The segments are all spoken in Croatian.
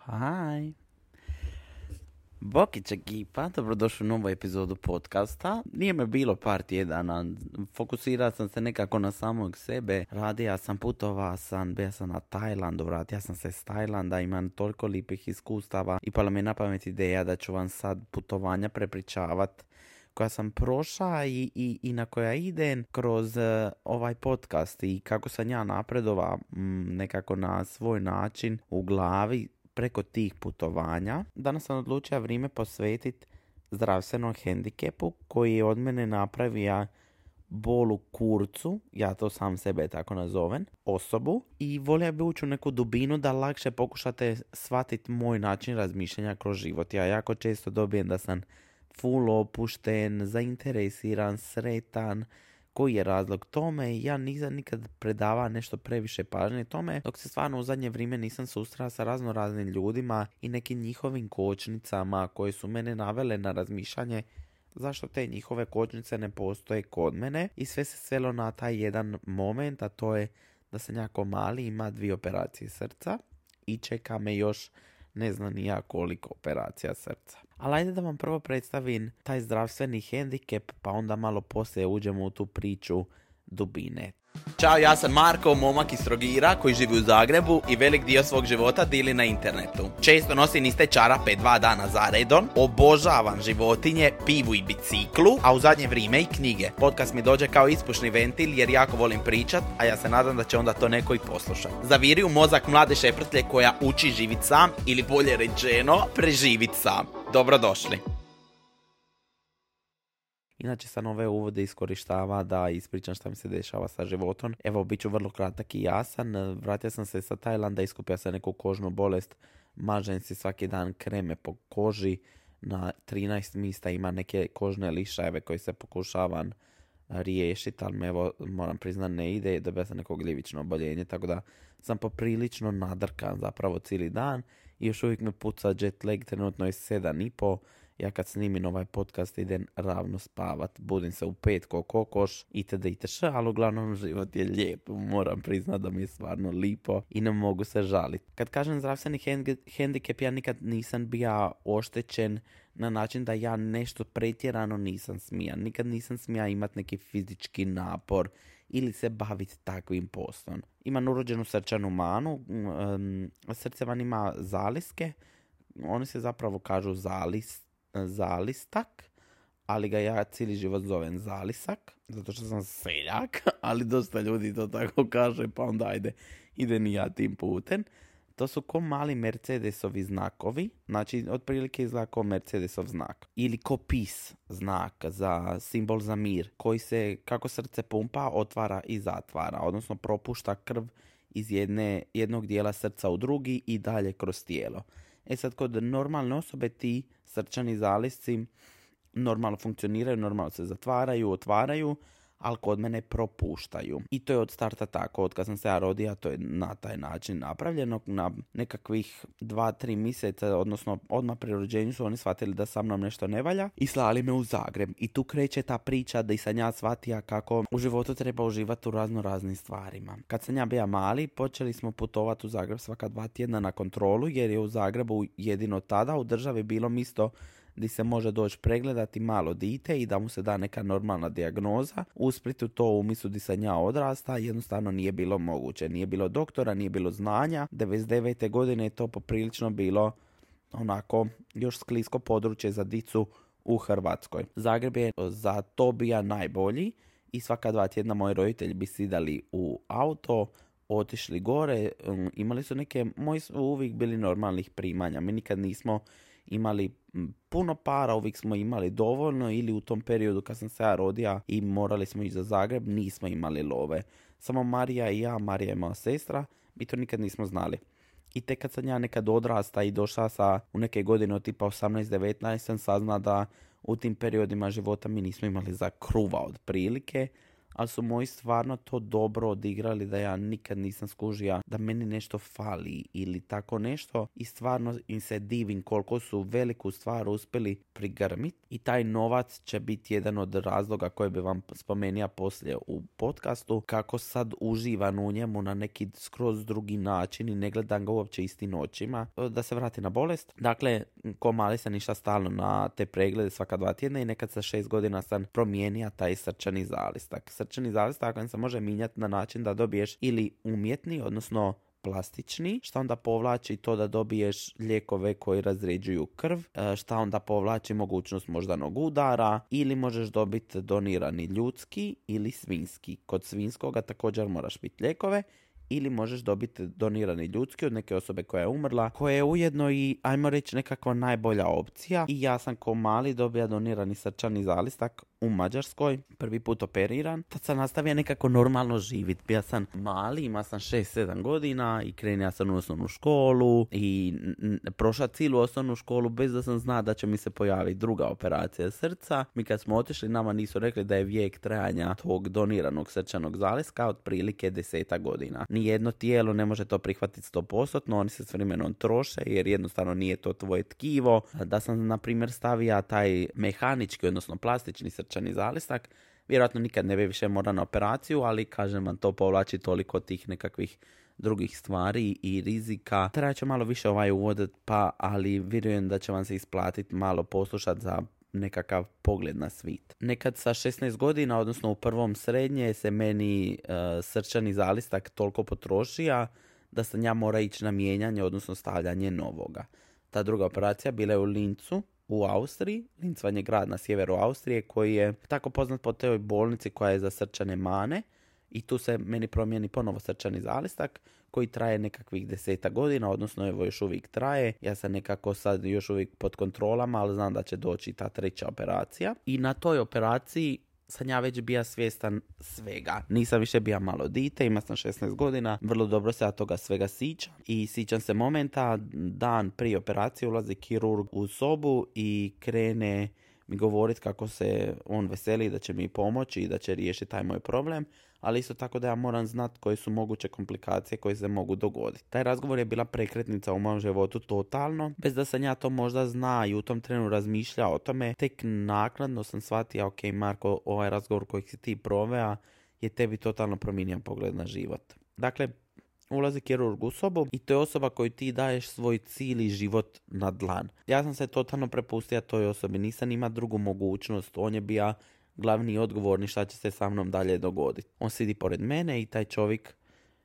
Haj. Bokić ekipa, dobrodošli u novu epizodu podcasta. Nije me bilo par tjedana, fokusirao sam se nekako na samog sebe. Radija sam, putovao sam, bio sam na Tajlandu, vratio sam se s Tajlanda, imam toliko lipih iskustava i pala mi je na pamet ideja da ću vam sad putovanja prepričavat koja sam prošla i na koja idem kroz ovaj podcast i kako sam ja napredovao nekako na svoj način u glavi preko tih putovanja. Danas sam odlučio vrijeme posvetiti zdravstvenom hendikepu koji je od mene napravio bol u kurcu, ja to sam sebe tako nazovem, osobu, i volio bi ući u neku dubinu da lakše pokušate shvatiti moj način razmišljanja kroz život. Ja jako često dobijem da sam full opušten, zainteresiran, sretan. Koji je razlog tome? Ja nisam nikad predavao nešto previše pažnje tome, dok se stvarno u zadnje vrijeme nisam susreo sa razno raznim ljudima i nekim njihovim kočnicama koje su mene navele na razmišljanje zašto te njihove kočnice ne postoje kod mene, i sve se svelo na taj jedan moment, a to je da sam jako mali, ima 2 operacije srca i čeka me još ne znam ni ja koliko operacija srca. Ali ajde da vam prvo predstavim taj zdravstveni hendikep, pa onda malo poslije uđemo u tu priču dubine. Ćao, ja sam Marko, momak iz Trogira koji živi u Zagrebu i velik dio svog života dili na internetu. Često nosim iste čarape 2 dana za redom, obožavam životinje, pivu i biciklu, a u zadnje vrijeme i knjige. Podcast mi dođe kao ispušni ventil jer jako volim pričat, a ja se nadam da će onda to neko i poslušati. Zaviri u mozak mlade šeprtlje koja uči živit sam, ili bolje rečeno, preživit sam. Dobrodošli. Inače sam ove uvode iskorištava da ispričam šta mi se dešava sa životom. Evo, bit ću vrlo kratak i jasan. Vratio sam se sa Tajlanda, iskupio sam neku kožnu bolest. Mažem si svaki dan kreme po koži. Na 13 mjesta ima neke kožne lišajeve koje se pokušavam riješiti, ali me, evo, moram priznati, ne ide. Dobio sam neko gljivično oboljenje, tako da sam poprilično nadrkan zapravo cijeli dan. I još uvijek me puca jet lag, trenutno je 7:30. Ja kad snimim ovaj podcast idem ravno spavat, budim se u 5 ko kokoš, itd. Ali uglavnom život je lijep, moram priznat da mi je stvarno lipo i ne mogu se žaliti. Kad kažem zdravstveni hendikep, ja nikad nisam bio oštećen na način da ja nešto pretjerano nisam smija. Nikad nisam smija imati neki fizički napor ili se baviti takvim poslom. Imam urođenu srčanu manu, srce van ima zaliske, oni se zapravo kažu zalistak, ali ga ja cijeli život zovem zalisak, zato što sam seljak, ali dosta ljudi to tako kaže, pa onda ajde, idem i ja tim putem. To su ko mali Mercedesovi znakovi, znači otprilike izgleda ko Mercedesov znak. Ili ko PIS znak, za simbol za mir, koji se, kako srce pumpa, otvara i zatvara, odnosno propušta krv iz jednog dijela srca u drugi i dalje kroz tijelo. E sad, kod normalne osobe ti srčani zalisci normalno funkcioniraju, normalno se zatvaraju, otvaraju, ali kod mene propuštaju. I to je od starta tako, od kad sam se ja rodio, to je na taj način napravljeno. Na nekakvih 2-3 mjeseca, odnosno odmah pri rođenju, su oni shvatili da sa mnom nešto ne valja i slali me u Zagreb. I tu kreće ta priča da i sam ja shvatio kako u životu treba uživati u razno raznim stvarima. Kad sam ja bio mali, počeli smo putovati u Zagreb svaka 2 tjedna na kontrolu, jer je u Zagrebu jedino tada u državi bilo mjesto gdje se može doći pregledati malo dite i da mu se da neka normalna dijagnoza. U Splitu, to u mjestu gdje sam ja odrasta, jednostavno nije bilo moguće. Nije bilo doktora, nije bilo znanja. 99. godine je to poprilično bilo onako još sklisko područje za dicu u Hrvatskoj. Zagreb je za to bio najbolji i svaka 2 tjedna moji roditelji bi sidali u auto, otišli gore, imali su moji su uvijek bili normalnih primanja. Mi nikad nismo imali puno para, uvijek smo imali dovoljno, ili u tom periodu kad sam se ja rodio i morali smo ići za Zagreb, nismo imali love. Samo Marija i ja, Marija je moja sestra, mi to nikad nismo znali. I tek kad sam ja nekad odrasta i došla u neke godine od tipa 18-19, sam sazna da u tim periodima života mi nismo imali za kruva otprilike, ali su moji stvarno to dobro odigrali da ja nikad nisam skužio da meni nešto fali ili tako nešto i stvarno im se divim koliko su veliku stvar uspjeli prigrmiti i taj novac će biti jedan od razloga koje bi vam spomenuo poslije u podcastu, kako sad uživam u njemu na neki skroz drugi način i ne gledam ga uopće istim očima. Da se vrati na bolest. Dakle, ko mali sam išla stalno na te preglede svaka 2 tjedna i nekad sa 6 godina sam promijenio taj srčani zalistak. Srčani zalistak se može mijenjati na način da dobiješ ili umjetni, odnosno plastični, šta onda povlači to da dobiješ lijekove koji razređuju krv, šta onda povlači mogućnost moždanog udara, ili možeš dobiti donirani ljudski ili svinjski. Kod svinjskoga također moraš piti lijekove, ili možeš dobiti donirani ljudski od neke osobe koja je umrla, koja je ujedno i, ajmo reći, nekakva najbolja opcija. I ja sam ko mali dobio donirani srčani zalistak u Mađarskoj, prvi put operiran. Tad sam nastavio nekako normalno živjeti. Bio sam mali, ima sam 6-7 godina i krenio sam u osnovnu školu i prošla cijelu osnovnu školu bez da sam zna da će mi se pojaviti druga operacija srca. Mi kad smo otišli, nama nisu rekli da je vijek trajanja tog doniranog srčanog zaliska otprilike 10 godina. Nijedno tijelo ne može to prihvatiti 100%, oni se s vremenom troše jer jednostavno nije to tvoje tkivo. Da sam, na primjer, stavio taj mehanički, odnosno plastični srčani zalistak, vjerojatno nikad ne bi više morao na operaciju, ali kažem vam, to povlači toliko tih nekakvih drugih stvari i rizika. Treba će malo više uvod, ali vjerujem da će vam se isplatiti malo poslušati za nekakav pogled na svit. Nekad sa 16 godina, odnosno u prvom srednje, se meni srčani zalistak toliko potrošio da sam ja mora ići na mijenjanje, odnosno stavljanje novoga. Ta druga operacija bila je u Lincu u Austriji. Linz vam je grad na sjeveru Austrije koji je tako poznat po toj bolnici koja je za srčane mane i tu se meni promijeni ponovo srčani zalistak koji traje nekakvih 10 godina, odnosno evo još uvijek traje. Ja sam nekako sad još uvijek pod kontrolama, ali znam da će doći ta 3. operacija. I na toj operaciji sam ja već bio svjestan svega. Nisam više bio malo dite, ima sam 16 godina, vrlo dobro se ja toga svega sićam. I sićam se momenta, dan prije operacije ulazi kirurg u sobu i krene mi govoriti kako se on veseli da će mi pomoći i da će riješiti taj moj problem, ali isto tako da ja moram znati koje su moguće komplikacije koje se mogu dogoditi. Taj razgovor je bila prekretnica u mom životu totalno, bez da sam ja to možda zna i u tom trenu razmišljao o tome. Tek naknadno sam shvatio, ok Marko, ovaj razgovor koji si ti proveo je tebi totalno promijenio pogled na život. Dakle, ulazi kirurg u sobu i to je osoba koju ti daješ svoj cijeli život na dlan. Ja sam se totalno prepustio toj osobi, nisam imao drugu mogućnost, on je bio glavni i odgovorni šta će se sa mnom dalje dogoditi. On sidi pored mene i taj čovjek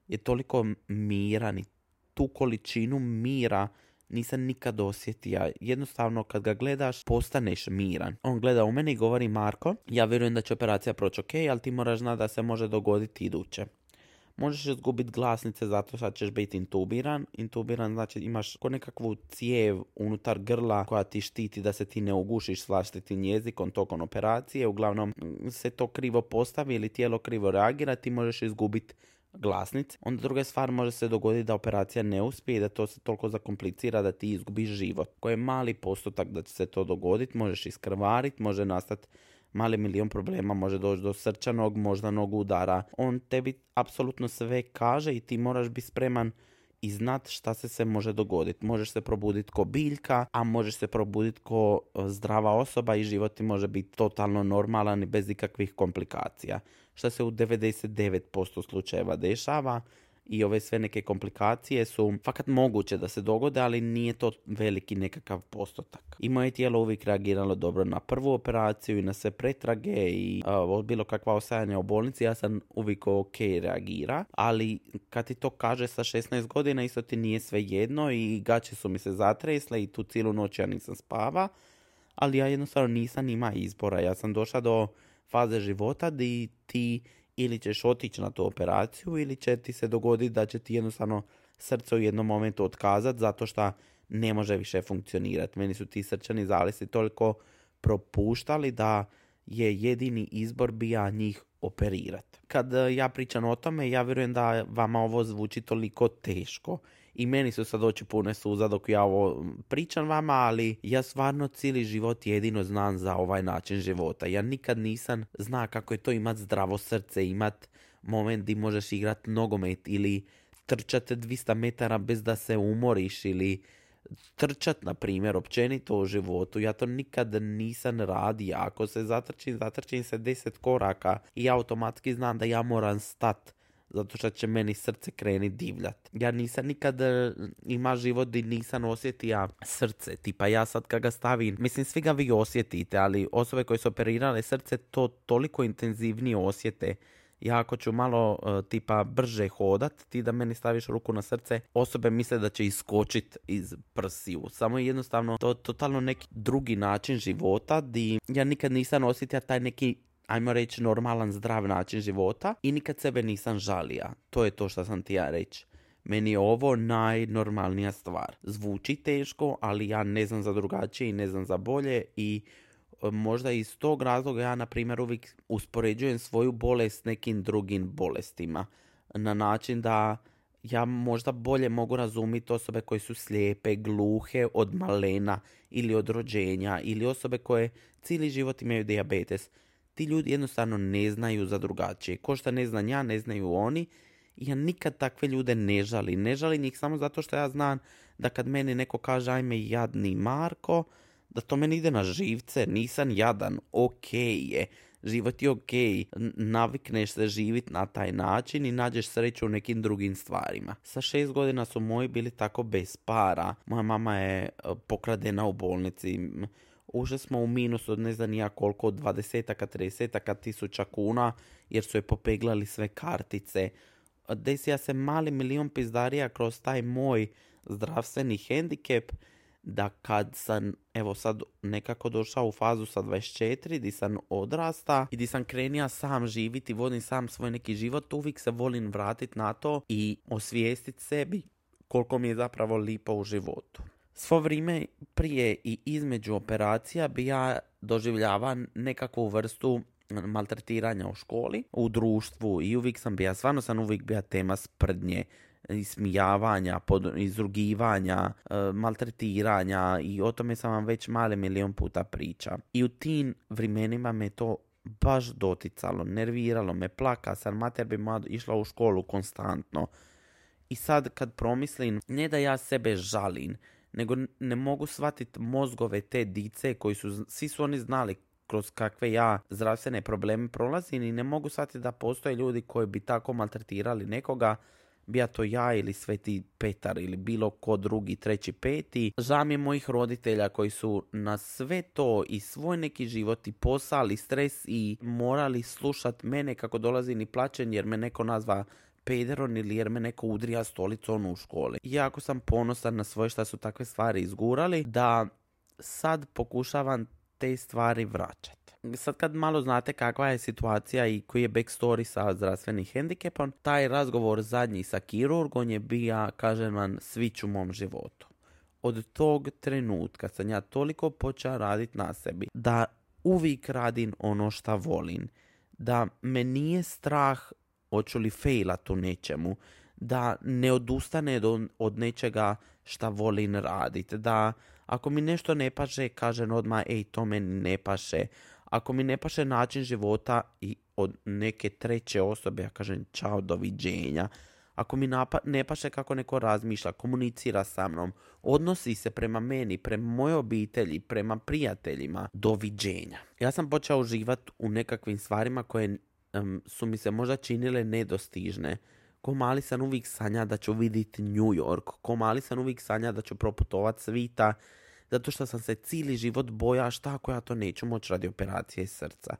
je toliko miran i tu količinu mira nisam nikad osjetio. Jednostavno kad ga gledaš postaneš miran. On gleda u mene i govori, Marko, ja vjerujem da će operacija proći ok, ali ti moraš znati da se može dogoditi iduće. Možeš izgubiti glasnice zato što ćeš biti intubiran. Intubiran znači imaš ko nekakvu cijev unutar grla koja ti štiti da se ti ne ugušiš s vlastitim jezikom tokom operacije. Uglavnom se to krivo postavi ili tijelo krivo reagira, ti možeš izgubiti glasnice. Onda druga stvar, može se dogoditi da operacija ne uspije i da to se toliko zakomplicira da ti izgubiš život. Koji je mali postotak da će se to dogoditi, možeš iskrvariti, može nastati mali milion problema, može doći do srčanog, moždanog udara. On tebi apsolutno sve kaže i ti moraš biti spreman i znat šta se sve može dogoditi. Možeš se probuditi ko biljka, a možeš se probuditi ko zdrava osoba i život ti može biti totalno normalan i bez ikakvih komplikacija. Šta se u 99% slučajeva dešava. I ove sve neke komplikacije su fakat moguće da se dogode, ali nije to veliki nekakav postotak. I moje tijelo uvijek reagiralo dobro na prvu operaciju i na sve pretrage i bilo kakva ostajanja u bolnici, ja sam uvijek ok reagira, ali kad ti to kaže sa 16 godina isto ti nije sve jedno i gaće su mi se zatresle i tu cijelu noć ja nisam spava, ali ja jednostavno nisam ima izbora. Ja sam došla do faze života gdje ti ili ćeš otići na tu operaciju ili će ti se dogoditi da će ti jednostavno srce u jednom momentu otkazati zato što ne može više funkcionirati. Meni su ti srčani zalisci toliko propuštali da je jedini izbor bio njih operirati. Kad ja pričam o tome, ja vjerujem da vama ovo zvuči toliko teško i meni su sad oči pune suza dok ja ovo pričam vama, ali ja stvarno cijeli život jedino znam za ovaj način života. Ja nikad nisam zna kako je to imat zdravo srce, imat moment gdje možeš igrat nogomet ili trčati 200 metara bez da se umoriš ili trčat, na primjer, općenito u životu. Ja to nikad nisam radio. Ako se zatrčim se 10 koraka i automatski znam da ja moram stat, zato što će meni srce kreni divljat. Ja nisam nikad ima život gdje nisam osjetio srce. Tipa ja sad kad ga stavim, mislim svi ga vi osjetite, ali osobe koje su operirale srce to toliko intenzivnije osjete. Ja ako ću malo tipa brže hodat, ti da meni staviš ruku na srce, osobe misle da će iskočit iz prsiju. Samo jednostavno to totalno neki drugi način života di ja nikad nisam osjetio taj neki, ajmo reći, normalan, zdrav način života i nikad sebe nisam žalija. To je to što sam ti ja reći. Meni je ovo najnormalnija stvar. Zvuči teško, ali ja ne znam za drugačije i ne znam za bolje i možda iz tog razloga ja, na primjer, uvijek uspoređujem svoju bolest s nekim drugim bolestima. Na način da ja možda bolje mogu razumjeti osobe koje su slijepe, gluhe od malena ili od rođenja ili osobe koje cijeli život imaju dijabetes. Ti ljudi jednostavno ne znaju za drugačije. Ko što ne znam ja, ne znaju oni. Ja nikad takve ljude ne žalim. Ne žalim ih samo zato što ja znam da kad meni neko kaže ajme jadni Marko, da to meni ide na živce, nisam jadan, okej je, život je okej, navikneš se živit na taj način i nađeš sreću u nekim drugim stvarima. Sa 6 godina su moji bili tako bez para, moja mama je pokradena u bolnici, ušli smo u minus od ne znam nija koliko, od 20-aka, 30-aka tisuća kuna, jer su je popeglali sve kartice. Desija se mali milion pizdarija kroz taj moj zdravstveni hendikep, da kad sam, evo sad nekako došao u fazu sa 24, di sam odrasta i di sam krenija sam živiti, vodim sam svoj neki život, uvijek se volim vratiti na to i osvijestiti sebi koliko mi je zapravo lipo u životu. Svo vrijeme prije i između operacija bi ja doživljavao nekakvu vrstu maltretiranja u školi, u društvu i uvijek sam bija, stvarno sam uvijek bija tema sprdnje, ismijavanja, izrugivanja, maltretiranja i o tome sam vam već mali milion puta priča. I u tim vremenima me to baš doticalo, nerviralo me, plaka sam, mater bi moja išla u školu konstantno. I sad kad promislim, ne da ja sebe žalim, nego ne mogu shvatiti mozgove te dice koji su, svi su oni znali kroz kakve ja zdravstvene probleme prolazim i ne mogu shvatiti da postoje ljudi koji bi tako maltretirali nekoga, bija to ja ili Sveti Petar ili bilo ko drugi, treći, peti. Žao mi je mojih roditelja koji su na sve to i svoj neki život i posao i stres i morali slušat mene kako dolazim i plaćen jer me neko nazva pederon ili jer me neko udrija stolicom u školi. Jako sam ponosan na svoje šta su takve stvari izgurali, da sad pokušavam te stvari vraćati. Sad kad malo znate kakva je situacija i koji je backstory sa zdravstvenim hendikepom, taj razgovor zadnji sa kirurgom je bija, kažem vam, svić u mom životu. Od tog trenutka sam ja toliko počeo raditi na sebi da uvijek radim ono šta volim, da me nije strah hoću li failat u nečemu, da ne odustane od nečega šta volim raditi, da ako mi nešto ne paše, kažem odmah, ej, to meni ne paše. Ako mi ne paše način života i od neke treće osobe, ja kažem čao, doviđenja. Ako mi ne paše kako neko razmišlja, komunicira sa mnom, odnosi se prema meni, prema mojoj obitelji, prema prijateljima, doviđenja. Ja sam počeo uživati u nekakvim stvarima koje su mi se možda činile nedostižne. Ko mali sam uvijek sanja da ću vidjeti New York, ko mali sam uvijek sanja da ću proputovat svita, zato što sam se cijeli život boja šta ako ja to neću moći radi operacije srca.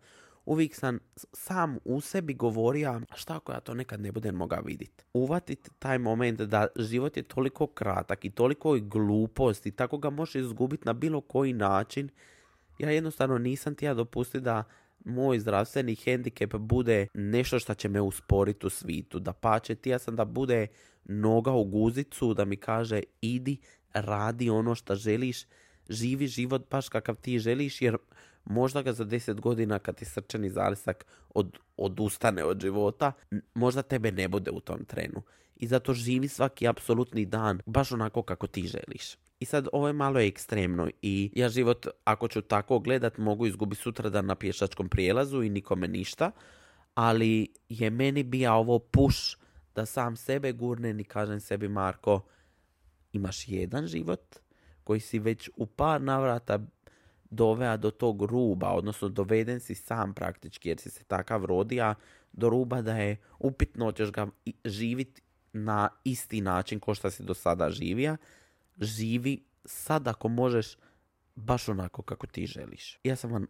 Uvijek sam sam u sebi govorio šta ako ja to nekad ne budem mogao vidjeti. Uvatiti taj moment da život je toliko kratak i toliko glupost i tako ga možeš izgubiti na bilo koji način. Ja jednostavno nisam htio dopustiti da moj zdravstveni hendikep bude nešto što će me usporiti u svitu. Da pače, htio sam da bude noga u guzicu, da mi kaže idi, radi ono što želiš, živi život baš kakav ti želiš, jer možda ga za 10 godina kad ti srčani zalisak odustane od života, možda tebe ne bude u tom trenu. I zato živi svaki apsolutni dan baš onako kako ti želiš. I sad ovo je malo ekstremno i ja život, ako ću tako gledat, mogu izgubiti sutradan na pješačkom prijelazu i nikome ništa, ali je meni bija ovo push da sam sebe gurnem i kažem sebi, Marko, imaš jedan život koji si već u par navrata doveo do tog ruba, odnosno doveden si sam praktički jer si se takav rodija do ruba da je upitno ćeš ga živjeti na isti način kao što si do sada živio. Živi sad ako možeš baš onako kako ti želiš. Ja sam vam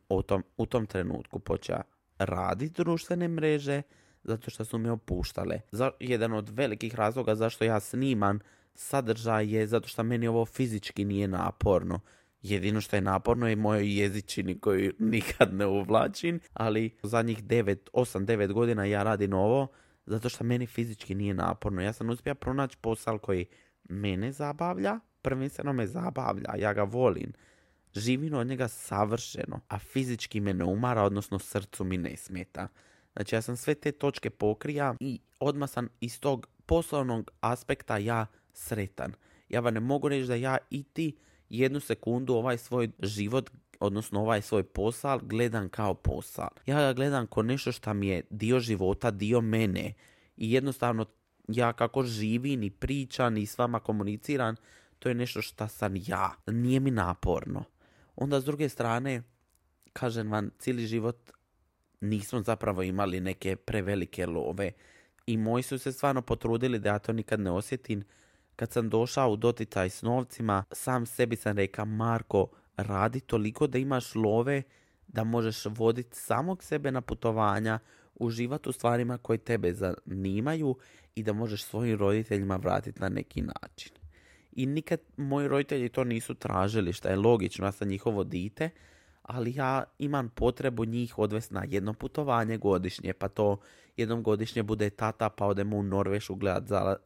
u tom trenutku počeo raditi društvene mreže zato što su me opuštale. Jedan od velikih razloga zašto ja snimam sadržaj je zato što meni ovo fizički nije naporno. Jedino što je naporno je mojoj jezičini koju nikad ne uvlačim, ali zadnjih 8-9 godina ja radim ovo zato što meni fizički nije naporno. Ja sam uspio pronaći posao koji mene zabavlja, prvenstveno me zabavlja, ja ga volim. Živim od njega savršeno, a fizički me ne umara, odnosno srcu mi ne smeta. Znači ja sam sve te točke pokrija i odmah sam iz tog poslovnog aspekta ja sretan. Ja vam ne mogu reći da ja i ti jednu sekundu ovaj svoj život, odnosno ovaj svoj posao gledam kao posao. Ja ga gledam kao nešto što mi je dio života, dio mene. I jednostavno ja kako živim i pričam i s vama komuniciram, to je nešto što sam ja. Nije mi naporno. Onda s druge strane, kažem vam, cijeli život nismo zapravo imali neke prevelike love. I moji su se stvarno potrudili da ja to nikad ne osjetim. Kad sam došao u doticaj s novcima, sam sebi sam rekao, Marko, radi toliko da imaš love, da možeš voditi samog sebe na putovanja, uživati u stvarima koje tebe zanimaju i da možeš svojim roditeljima vratiti na neki način. I nikad moji roditelji to nisu tražili, što je logično, ja sam njihovo dite, ali ja imam potrebu njih odvesti na jedno putovanje godišnje, pa to jednom godišnje bude tata pa odemo u Norvešku gledat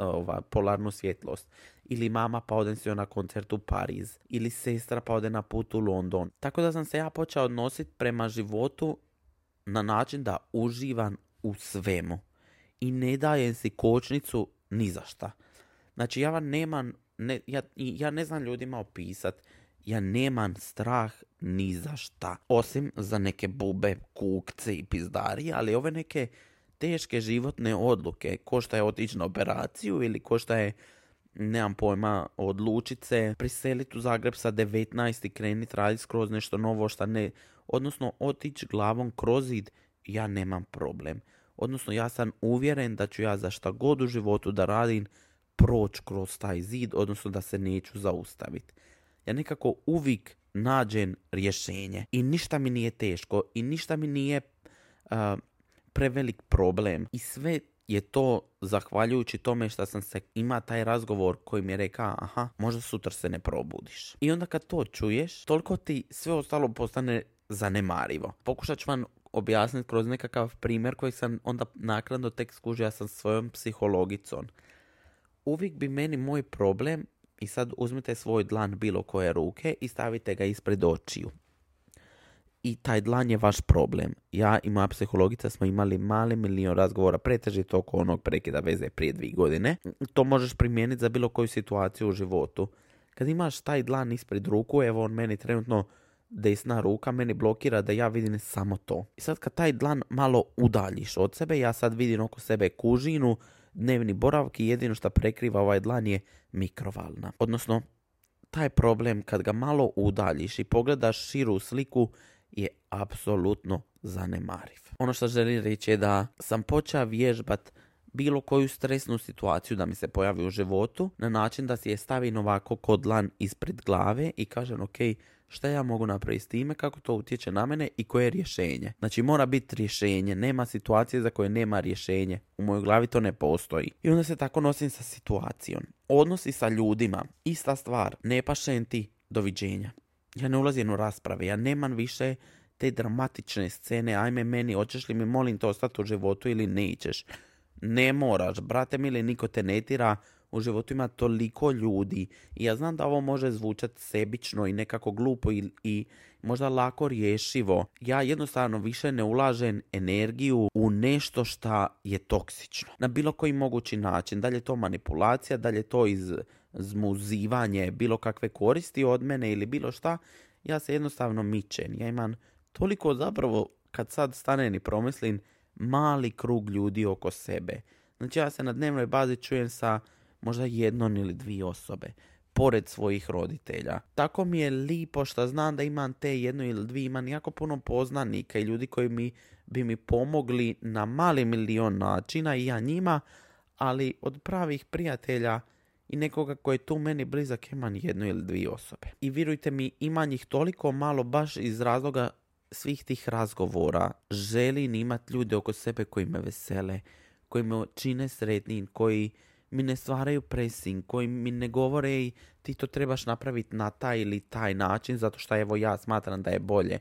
polarnu svjetlost. Ili mama pa odem se na koncert u Pariz. Ili sestra pa ode na put u London. Tako da sam se ja počeo odnositi prema životu na način da uživam u svemu. I ne dajem si kočnicu ni za šta. Znači ja ne znam ljudima opisati. Ja nemam strah ni za šta. Osim za neke bube, kukce i pizdarije, ali ove neke teške životne odluke, ko šta je otići na operaciju ili ko šta je, nemam pojma, odlučiti se priseliti u Zagreb sa 19 i kreniti raditi skroz nešto novo šta ne, odnosno otići glavom kroz zid, ja nemam problem. Odnosno ja sam uvjeren da ću ja za šta god u životu da radim proći kroz taj zid, odnosno da se neću zaustaviti. Ja nekako uvijek nađem rješenje i ništa mi nije teško i ništa mi nije prevelik problem. I sve je to zahvaljujući tome što sam se ima taj razgovor koji mi je rekao, aha, možda sutra se ne probudiš. I onda kad to čuješ, toliko ti sve ostalo postane zanemarivo. Pokušat ću vam objasniti kroz nekakav primjer koji sam onda naknadno tek skužio sa svojom psihologicom. Uvijek bi meni moj problem, i sad uzmite svoj dlan bilo koje ruke i stavite ga ispred očiju. I taj dlan je vaš problem. Ja i moja psihologica smo imali mali milion razgovora, pretežito oko onog prekida veze prije 2 godine. To možeš primijeniti za bilo koju situaciju u životu. Kad imaš taj dlan ispred ruku, evo on meni trenutno desna ruka meni blokira da ja vidim samo to. I sad kad taj dlan malo udaljiš od sebe, ja sad vidim oko sebe kužinu, dnevni boravak i jedino što prekriva ovaj dlan je mikrovalna. Odnosno, taj problem kad ga malo udaljiš i pogledaš širu sliku je apsolutno zanemariv. Ono što želim reći je da sam počeo vježbat bilo koju stresnu situaciju da mi se pojavi u životu na način da si je stavim ovako ko dlan ispred glave i kažem ok, šta ja mogu napraviti s time, kako to utječe na mene i koje je rješenje. Znači mora biti rješenje, nema situacije za koje nema rješenje. U mojoj glavi to ne postoji. I onda se tako nosim sa situacijom. Odnosi sa ljudima, ista stvar, ne pašem ti, doviđenja. Ja ne ulazim u rasprave, ja nemam više te dramatične scene, ajme meni, hoćeš li mi molim te ostati u životu ili nećeš. Ne moraš, brate mili, niko te ne tira, u životu ima toliko ljudi i ja znam da ovo može zvučati sebično i nekako glupo i možda lako rješivo. Ja jednostavno više ne ulažem energiju u nešto šta je toksično. Na bilo koji mogući način. Da li je to manipulacija, da li je to izmuzivanje bilo kakve koristi od mene ili bilo šta, ja se jednostavno mičem. Ja imam toliko zapravo, kad sad stanem i promislim, mali krug ljudi oko sebe. Znači ja se na dnevnoj bazi čujem sa možda 1 ili 2 osobe, pored svojih roditelja. Tako mi je lipo što znam da imam te 1 ili 2, imam jako puno poznanika i ljudi koji bi mi pomogli na mali milion načina i ja njima, ali od pravih prijatelja i nekoga koji je tu meni blizak imam 1 ili 2 osobe. I vjerujte mi, ima njih toliko malo baš iz razloga svih tih razgovora. Želim imati ljude oko sebe koji me vesele, koji me čine sretnim, koji mi ne stvaraju presing, koji mi ne govore i ti to trebaš napraviti na taj ili taj način zato što evo ja smatram da je bolje.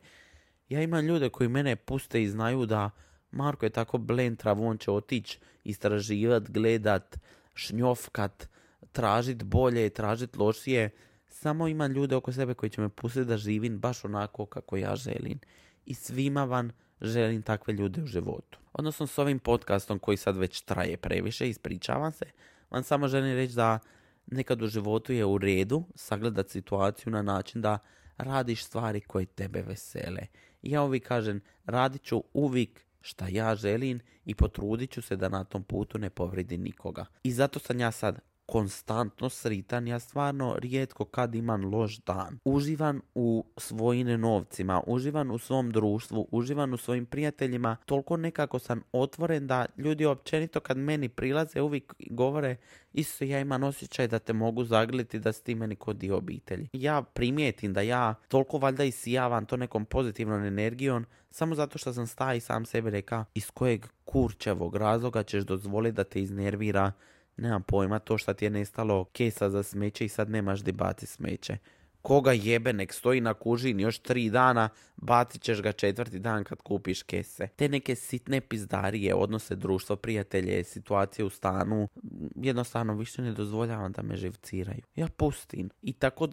Ja imam ljude koji mene puste i znaju da Marko je tako blentrav, on će otići istraživat, gledat, šnjofkat, tražit bolje, tražit lošije. Samo imam ljude oko sebe koji će me pustiti da živim baš onako kako ja želim. I svima vam želim takve ljude u životu. Odnosno s ovim podcastom koji sad već traje previše, ispričavam se, vam samo želim reći da nekad u životu je u redu sagledat situaciju na način da radiš stvari koje tebe vesele. I ja uvijek kažem, radit ću uvijek šta ja želim i potrudit ću se da na tom putu ne povredi nikoga. I zato sam ja sad konstantno sritan, ja stvarno rijetko kad imam loš dan. Uživam u svojim novcima, uživam u svom društvu, uživam u svojim prijateljima, toliko nekako sam otvoren da ljudi općenito kad meni prilaze uvijek govore Isuse, ja imam osjećaj da te mogu zagrliti, da si ti meni kod dio obitelji. Ja primijetim da ja toliko valjda isijavam to nekom pozitivnom energijom samo zato što sam stao i sam sebi rekao iz kojeg kurčevog razloga ćeš dozvoliti da te iznervira, nemam pojma, to što ti je nestalo kesa za smeće i sad nemaš di baci smeće. Koga jebe, nek stoji na kužini još 3 dana, bacit ćeš ga 4. dan kad kupiš kese. Te neke sitne pizdarije, odnose društvo, prijatelje, situacije u stanu, jednostavno više ne dozvoljavam da me živciraju. Ja pustim. I tako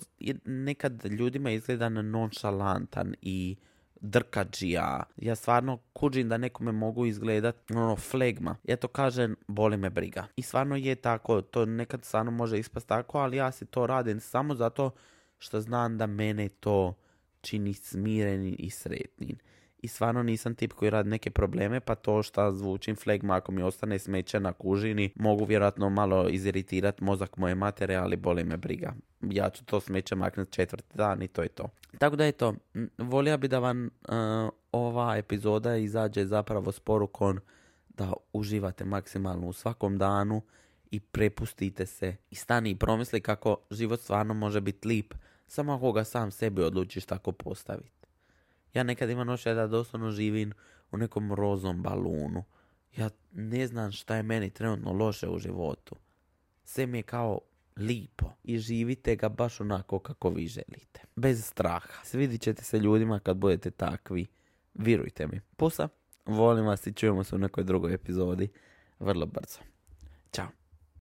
nekad ljudima izgleda nonšalantan i drkađija. Ja stvarno kužim da nekome mogu izgledat flegma. Ja to kažem, boli me briga. I stvarno je tako, to nekad stvarno može ispast tako, ali ja si to radim samo zato što znam da mene to čini smirenim i sretnim. I stvarno nisam tip koji radi neke probleme, pa to što zvučim flegma ako mi ostane smeće na kužini, mogu vjerojatno malo iziritirati mozak moje matere, ali boli me briga. Ja ću to smeće maknuti 4. dan i to je to. Tako da je to. Volio bi da vam ova epizoda izađe zapravo s porukom da uživate maksimalno u svakom danu i prepustite se i stani i promisli kako život stvarno može biti lip samo ako ga sam sebi odlučiš tako postaviti. Ja nekad imam osjećaj da doslovno živim u nekom rozom balunu. Ja ne znam šta je meni trenutno loše u životu. Sve mi je kao lipo i živite ga baš onako kako vi želite. Bez straha. Svidit ćete se ljudima kad budete takvi. Vjerujte mi. Pusa, volim vas i čujemo se u nekoj drugoj epizodi vrlo brzo.